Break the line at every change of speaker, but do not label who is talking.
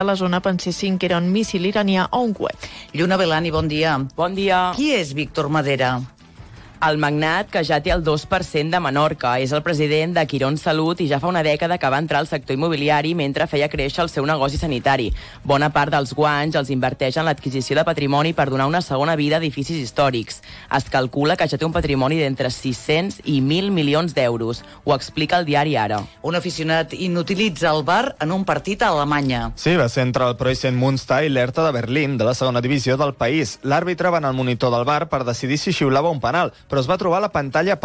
a la zona pensessin que era un míssil iranià o un coet.
Lluna Belani, bon dia.
Bon dia.
Qui és Víctor Madera?
El magnat, que ja té el 2% de Menorca, és el president de Quirón Salut i ja fa una dècada que va entrar al sector immobiliari mentre feia créixer el seu negoci sanitari. Bona part dels guanys els inverteix en l'adquisició de patrimoni per donar una segona vida a edificis històrics. Es calcula que ja té un patrimoni d'entre 600 i 1.000 milions d'euros. Ho explica el diari Ara.
Un aficionat inutilitza el bar en un partit a Alemanya.
Sí, va ser entre el Preußen Münster i l'Hertha de Berlín, de la segona divisió del país. L'àrbitre va anar al monitor del bar per decidir si xiulava un penal, però es va trobar la pantalla apagada